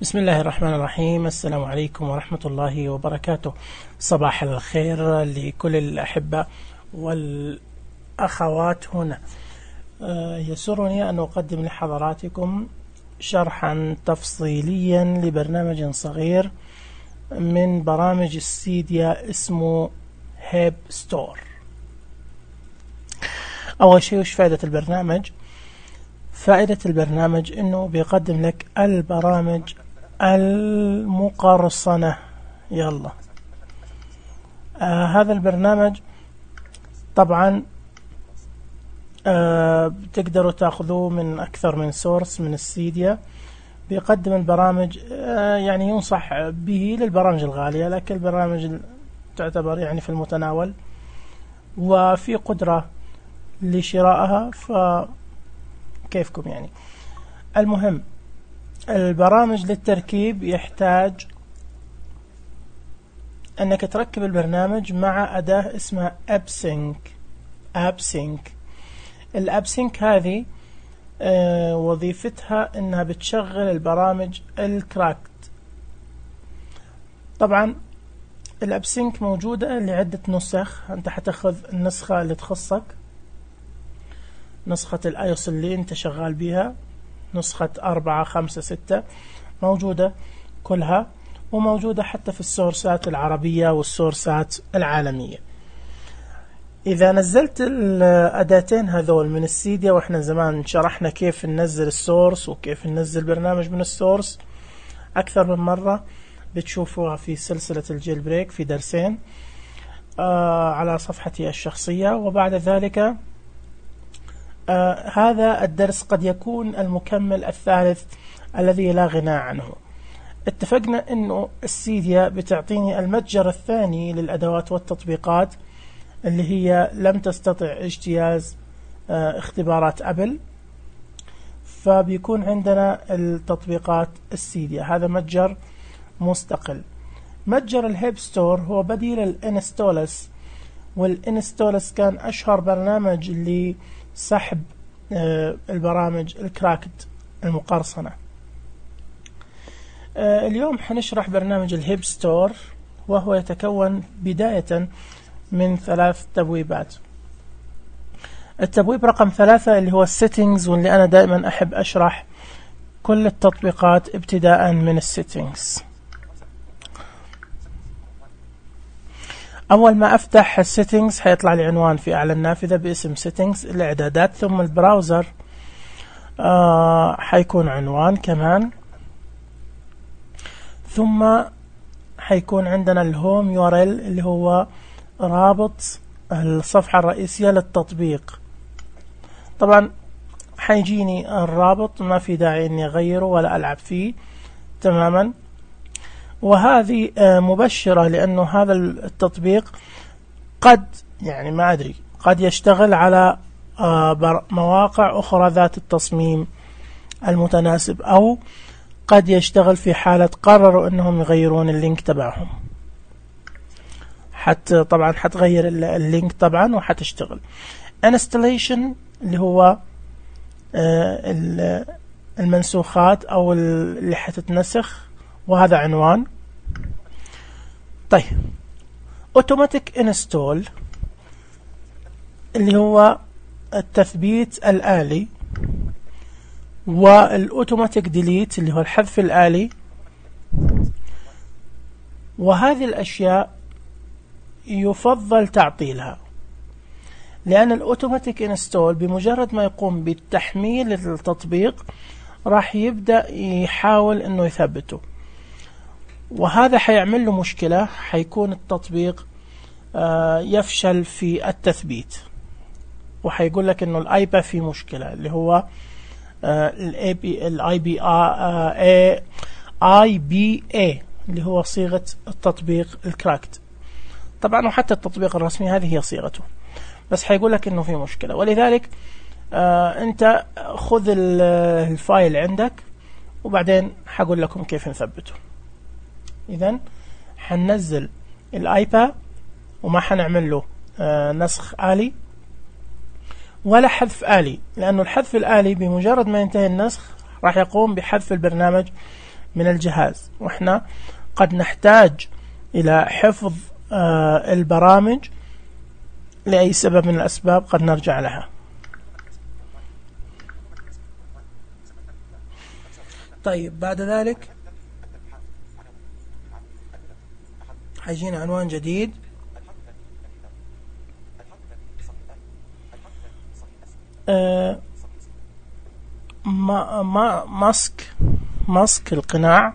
بسم الله الرحمن الرحيم. السلام عليكم ورحمة الله وبركاته. صباح الخير لكل الأحبة والأخوات هنا. يسرني أن أقدم لحضراتكم شرحا تفصيليا لبرنامج صغير من برامج السيديا اسمه هيب ستور. أول شيء وش فائدة البرنامج؟ فائدة البرنامج أنه بيقدم لك البرامج المقرصنة. يلا هذا البرنامج طبعا بتقدروا تأخذوه من أكثر من سورس من السيديا. بيقدم البرامج يعني ينصح به للبرامج الغالية، لكن البرامج تعتبر يعني في المتناول وفي قدرة لشرائها، فكيفكم يعني. المهم البرامج للتركيب يحتاج أنك تركب البرنامج مع أداة اسمها AppSync. الAppSync هذه وظيفتها أنها بتشغل البرامج الكراكت. طبعا الAppSync موجودة لعدة نسخ. أنت حتاخذ النسخة اللي تخصك، نسخة الآيوس اللي أنت شغال بها، نسخة 4 5 6 موجودة كلها، وموجودة حتى في السورسات العربية والسورسات العالمية. إذا نزلت الأداتين هذول من السيديا، وإحنا زمان شرحنا كيف ننزل السورس وكيف ننزل برنامج من السورس أكثر من مرة، بتشوفوها في سلسلة الجيل بريك في درسين على صفحتي الشخصية. وبعد ذلك هذا الدرس قد يكون المكمل الثالث الذي لا غنى عنه. اتفقنا انه السيديا بتعطيني المتجر الثاني للأدوات والتطبيقات اللي هي لم تستطع اجتياز اختبارات أبل، فبيكون عندنا التطبيقات السيديا. هذا متجر مستقل. متجر الهيب ستور هو بديل الانستولس، والانستولس كان أشهر برنامج لسحب البرامج الكراكت المقرصنة. اليوم حنشرح برنامج الهيب ستور، وهو يتكون بداية من 3 تبويبات. التبويب رقم 3 اللي هو السيتنجز، واللي أنا دائما أحب أشرح كل التطبيقات ابتداء من السيتنجز. أول ما أفتح السيتنجز حيطلع لي عنوان في أعلى النافذة باسم سيتنجز الإعدادات، ثم البراوزر حيكون عنوان كمان، ثم حيكون عندنا الهوم URL اللي هو رابط الصفحة الرئيسية للتطبيق. طبعا حيجيني الرابط، ما في داعي اني اغيره ولا العب فيه تماما. وهذه مبشرة، لانه هذا التطبيق قد يعني ما ادري قد يشتغل على مواقع اخرى ذات التصميم المتناسب، او قد يشتغل في حالة قرروا انهم يغيرون اللينك تبعهم. طبعا حتغير اللينك طبعا وحتشتغل. installation اللي هو المنسوخات او اللي حتتنسخ، وهذا عنوان. طيب automatic install اللي هو التثبيت الآلي، والأوتوماتيك ديليت اللي هو الحذف الآلي. وهذه الأشياء يفضل تعطيلها، لأن الأوتوماتيك انستول بمجرد ما يقوم بالتحميل للتطبيق راح يبدأ يحاول أنه يثبته، وهذا حيعمل له مشكلة. حيكون التطبيق يفشل في التثبيت، وحيقول لك أنه الآيبا في مشكلة، اللي هو IBA اللي هو صيغة التطبيق الكراكت. طبعا وحتى التطبيق الرسمي هذه هي صيغته، بس حيقول لك انه في مشكلة. ولذلك انت خذ الفايل عندك، وبعدين حقول لكم كيف نثبته. اذا حننزل الايبا، وما حنعمل له نسخ آلي ولا حذف آلي، لأنه الحذف الآلي بمجرد ما ينتهي النسخ راح يقوم بحذف البرنامج من الجهاز، وإحنا قد نحتاج إلى حفظ البرامج لأي سبب من الأسباب قد نرجع لها. طيب بعد ذلك حيجينا عنوان جديد، ماسك القناع،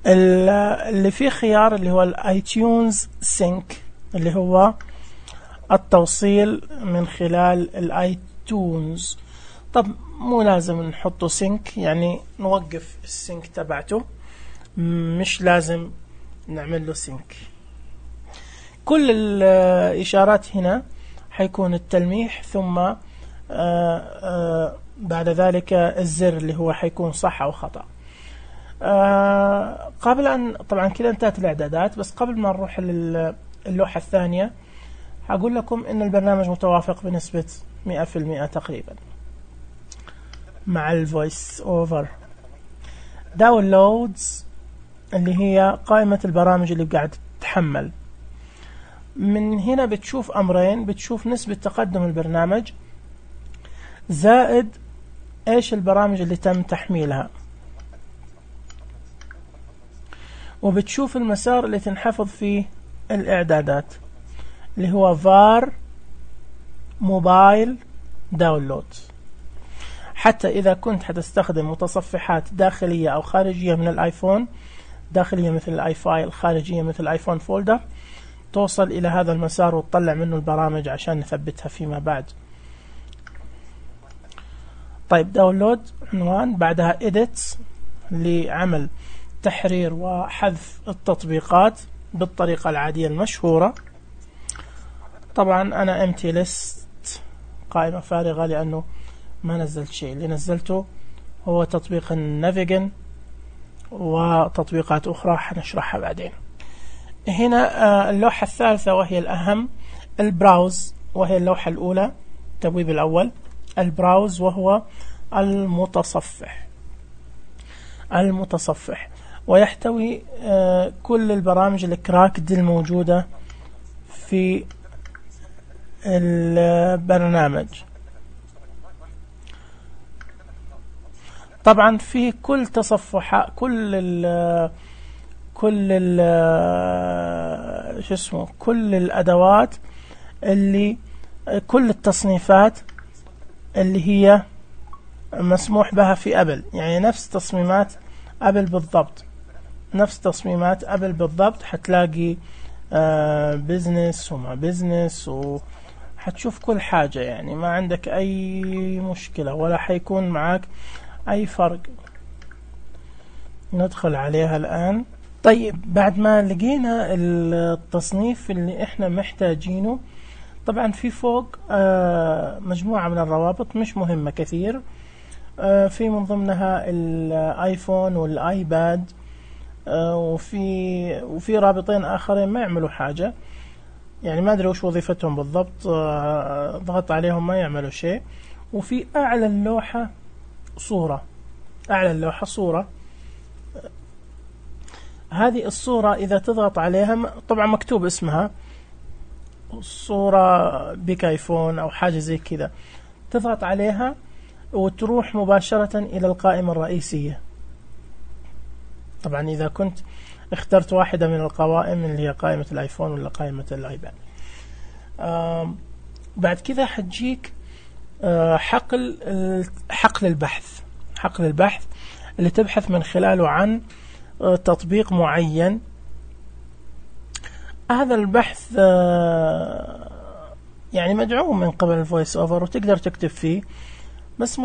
اللي فيه خيار اللي هو الايتيونز سينك، اللي هو التوصيل من خلال الايتونز. طب مو لازم نحطه سينك، يعني نوقف السينك تبعته، مش لازم نعمل له سينك. كل الإشارات هنا حيكون التلميح، ثم بعد ذلك الزر اللي هو حيكون صح أو خطأ. قبل أن طبعا كده انتهت الإعدادات، بس قبل ما نروح للوحة الثانية هقول لكم إن البرنامج متوافق بنسبة 100% تقريبا مع الفويس أوفر. داونلودز اللي هي قائمة البرامج اللي قاعد تتحمل، من هنا بتشوف أمرين، بتشوف نسبة تقدم البرنامج زائد إيش البرامج اللي تم تحميلها، وبتشوف المسار اللي تنحفظ فيه الإعدادات اللي هو var موبايل داونلود. حتى إذا كنت حتستخدم متصفحات داخلية أو خارجية من الآيفون، داخلية مثل الآي فايل، خارجية مثل الآيفون فولدر، توصل إلى هذا المسار وتطلع منه البرامج عشان نثبتها فيما بعد. طيب داونلود عنوان، بعدها edit لعمل تحرير وحذف التطبيقات بالطريقة العادية المشهورة. طبعا أنا empty list قائمة فارغة لأنه ما نزلت شيء، اللي نزلته هو تطبيق النافيجن وتطبيقات أخرى حنشرحها بعدين. هنا اللوحة الثالثة وهي الأهم، البراوز، وهي اللوحة الأولى، التبويب الأول. البراوز وهو المتصفح، ويحتوي كل البرامج الكراكد الموجودة في البرنامج. طبعا في كل تصفح كل الأدوات اللي كل التصنيفات اللي هي مسموح بها في أبل، يعني نفس تصميمات أبل بالضبط، نفس تصميمات أبل بالضبط. حتلاقي بيزنس وما بيزنس، وحتشوف كل حاجة، يعني ما عندك أي مشكلة ولا حيكون معك أي فرق. ندخل عليها الآن. طيب بعد ما لقينا التصنيف اللي احنا محتاجينه، طبعا في فوق مجموعة من الروابط مش مهمة كثير، في من ضمنها الايفون والايباد، وفي رابطين آخرين ما يعملوا حاجة، يعني ما أدري وش وظيفتهم بالضبط، ضغط عليهم ما يعملوا شيء. وفي أعلى اللوحة صورة، أعلى اللوحة صورة، هذه الصورة إذا تضغط عليها طبعا مكتوب اسمها صورة بيك آيفون أو حاجة زي كذا، تضغط عليها وتروح مباشرة إلى القائمة الرئيسية. طبعا إذا كنت اخترت واحدة من القوائم اللي هي قائمة الآيفون ولا قائمة الآيباد. بعد كذا حتجيك حقل البحث اللي تبحث من خلاله عن تطبيق معين. هذا البحث يعني مدعوم من قبل الفويس اوفر وتقدر تكتب فيه، بس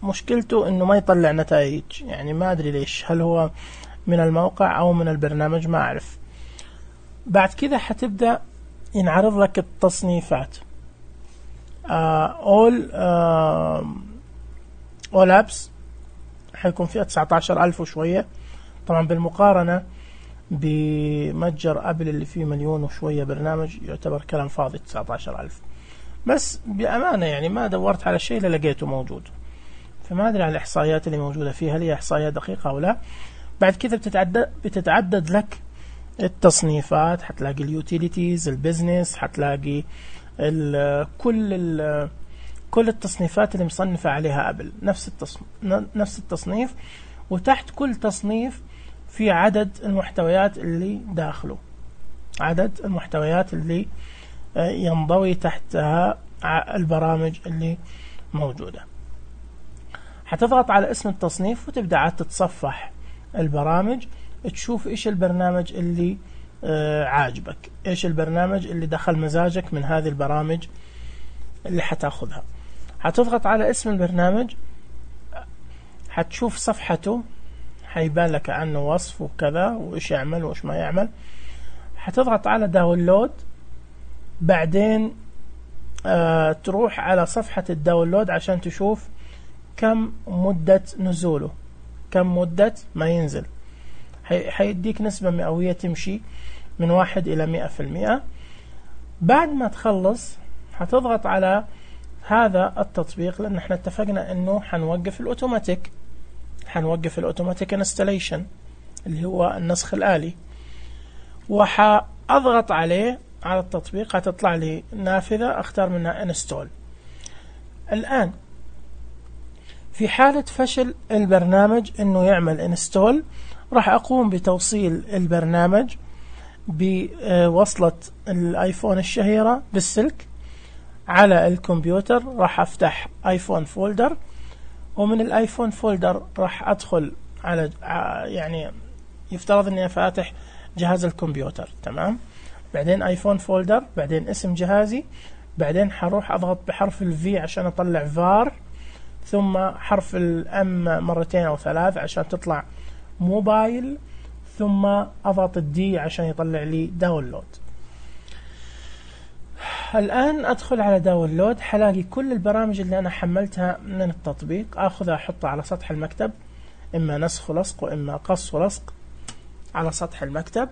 مشكلته انه ما يطلع نتائج، يعني ما ادري ليش، هل هو من الموقع او من البرنامج ما اعرف. بعد كذا حتبدأ ينعرض لك التصنيفات، all apps حيكون فيها 19,000 وشوية، طبعا بالمقارنة بمتجر أبل اللي فيه 1,000,000 وشوية برنامج يعتبر كلام فاضي 19,000. بس بأمانة يعني ما دورت على شيء لقيته موجود، فما أدري عن الإحصائيات اللي موجودة فيها، هل هي إحصائيات دقيقة أو لا. بعد كذا بتتعدد لك التصنيفات، حتلاقي اليوتيليتيز، البزنس، حتلاقي كل التصنيفات اللي مصنفة عليها أبل نفس التصنيف، وتحت كل تصنيف في عدد المحتويات اللي داخله، عدد المحتويات اللي ينضوي تحتها البرامج اللي موجودة. حتضغط على اسم التصنيف وتبدأ عاد تتصفح البرامج، تشوف إيش البرنامج اللي عاجبك، إيش البرنامج اللي دخل مزاجك من هذه البرامج اللي حتاخذها. حتضغط على اسم البرنامج، حتشوف صفحته، حيبان لك عنه وصف وكذا وإيش يعمل وإيش ما يعمل. حتضغط على داونلود، بعدين تروح على صفحة الداونلود عشان تشوف كم مدة نزوله، كم مدة ما ينزل. حيديك نسبة مئوية تمشي من 1 إلى 100%. بعد ما تخلص حتضغط على هذا التطبيق، لأن احنا اتفقنا انه حنوقف الأوتوماتيك انستليشن اللي هو النسخ الآلي، وحأضغط عليه على التطبيق. هتطلع لي نافذة اختار منها انستول. الآن في حالة فشل البرنامج انه يعمل انستول، راح اقوم بتوصيل البرنامج بوصلة الايفون الشهيرة بالسلك على الكمبيوتر. راح افتح ايفون فولدر، ومن الايفون فولدر راح ادخل على يعني يفترض اني فاتح جهاز الكمبيوتر، تمام. بعدين ايفون فولدر، بعدين اسم جهازي، بعدين حروح اضغط بحرف الفي عشان اطلع فار، ثم حرف الام مرتين او 3 عشان تطلع موبايل، ثم اضغط الدي عشان يطلع لي داونلود. الآن أدخل على داونلود، حلاقي كل البرامج اللي أنا حملتها من التطبيق، أخذها أحطها على سطح المكتب، إما نسخ ولصق وإما قص ولصق على سطح المكتب.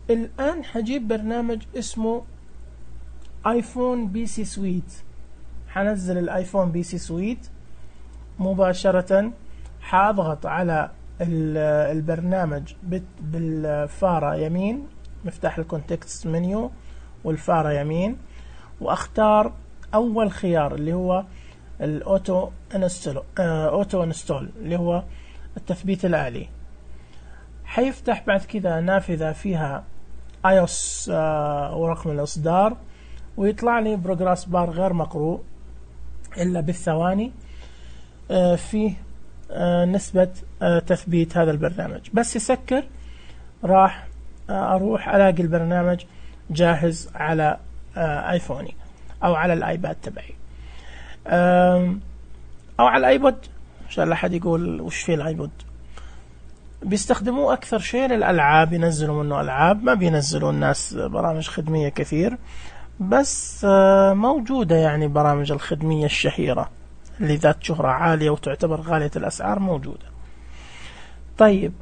الآن حجيب برنامج اسمه آيفون بي سي سويت، حنزل الآيفون بي سي سويت مباشرة. حأضغط على البرنامج بالفارة يمين، مفتاح الكونتكست منيو والفارة يمين، واختار اول خيار اللي هو الاوتو انستول اللي هو التثبيت الآلي. حيفتح بعد كذا نافذة فيها iOS ورقم الإصدار، ويطلع لي بروجرس بار غير مقروء إلا بالثواني في نسبة تثبيت هذا البرنامج. بس يسكر راح أروح ألاقي البرنامج جاهز على ايفوني او على الايباد تبعي او على الايبود. ان شاء الله حد يقول وش في الايبود. بيستخدموه اكثر شيء للالعاب، ينزلوا منه العاب، ما بينزلوا الناس برامج خدمية كثير، بس موجودة يعني برامج الخدمية الشهيرة اللي ذات شهرة عالية وتعتبر غالية الاسعار موجودة. طيب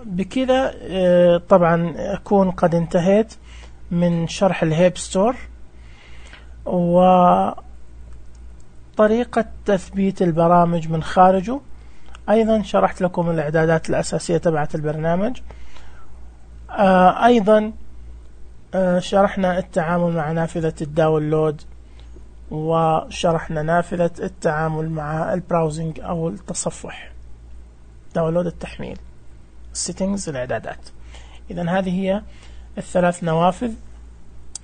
بكذا طبعا أكون قد انتهيت من شرح الهيب ستور وطريقة تثبيت البرامج من خارجه. أيضا شرحت لكم الإعدادات الأساسية تبعت البرنامج. أيضا شرحنا التعامل مع نافذة الداونلود، وشرحنا نافذة التعامل مع البراوزنج أو التصفح، داونلود التحميل، السيتنجز الإعدادات. إذن هذه هي الثلاث نوافذ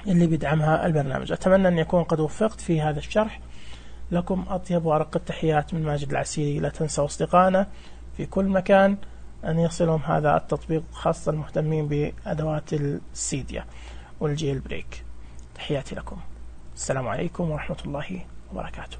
اللي بيدعمها البرنامج. أتمنى أن يكون قد وفقت في هذا الشرح. لكم أطيب وأرق التحيات من ماجد العسيري. لا تنسوا أصدقائنا في كل مكان أن يصلهم هذا التطبيق، خاصة المهتمين بأدوات السيديا والجيل بريك. تحياتي لكم، السلام عليكم ورحمة الله وبركاته.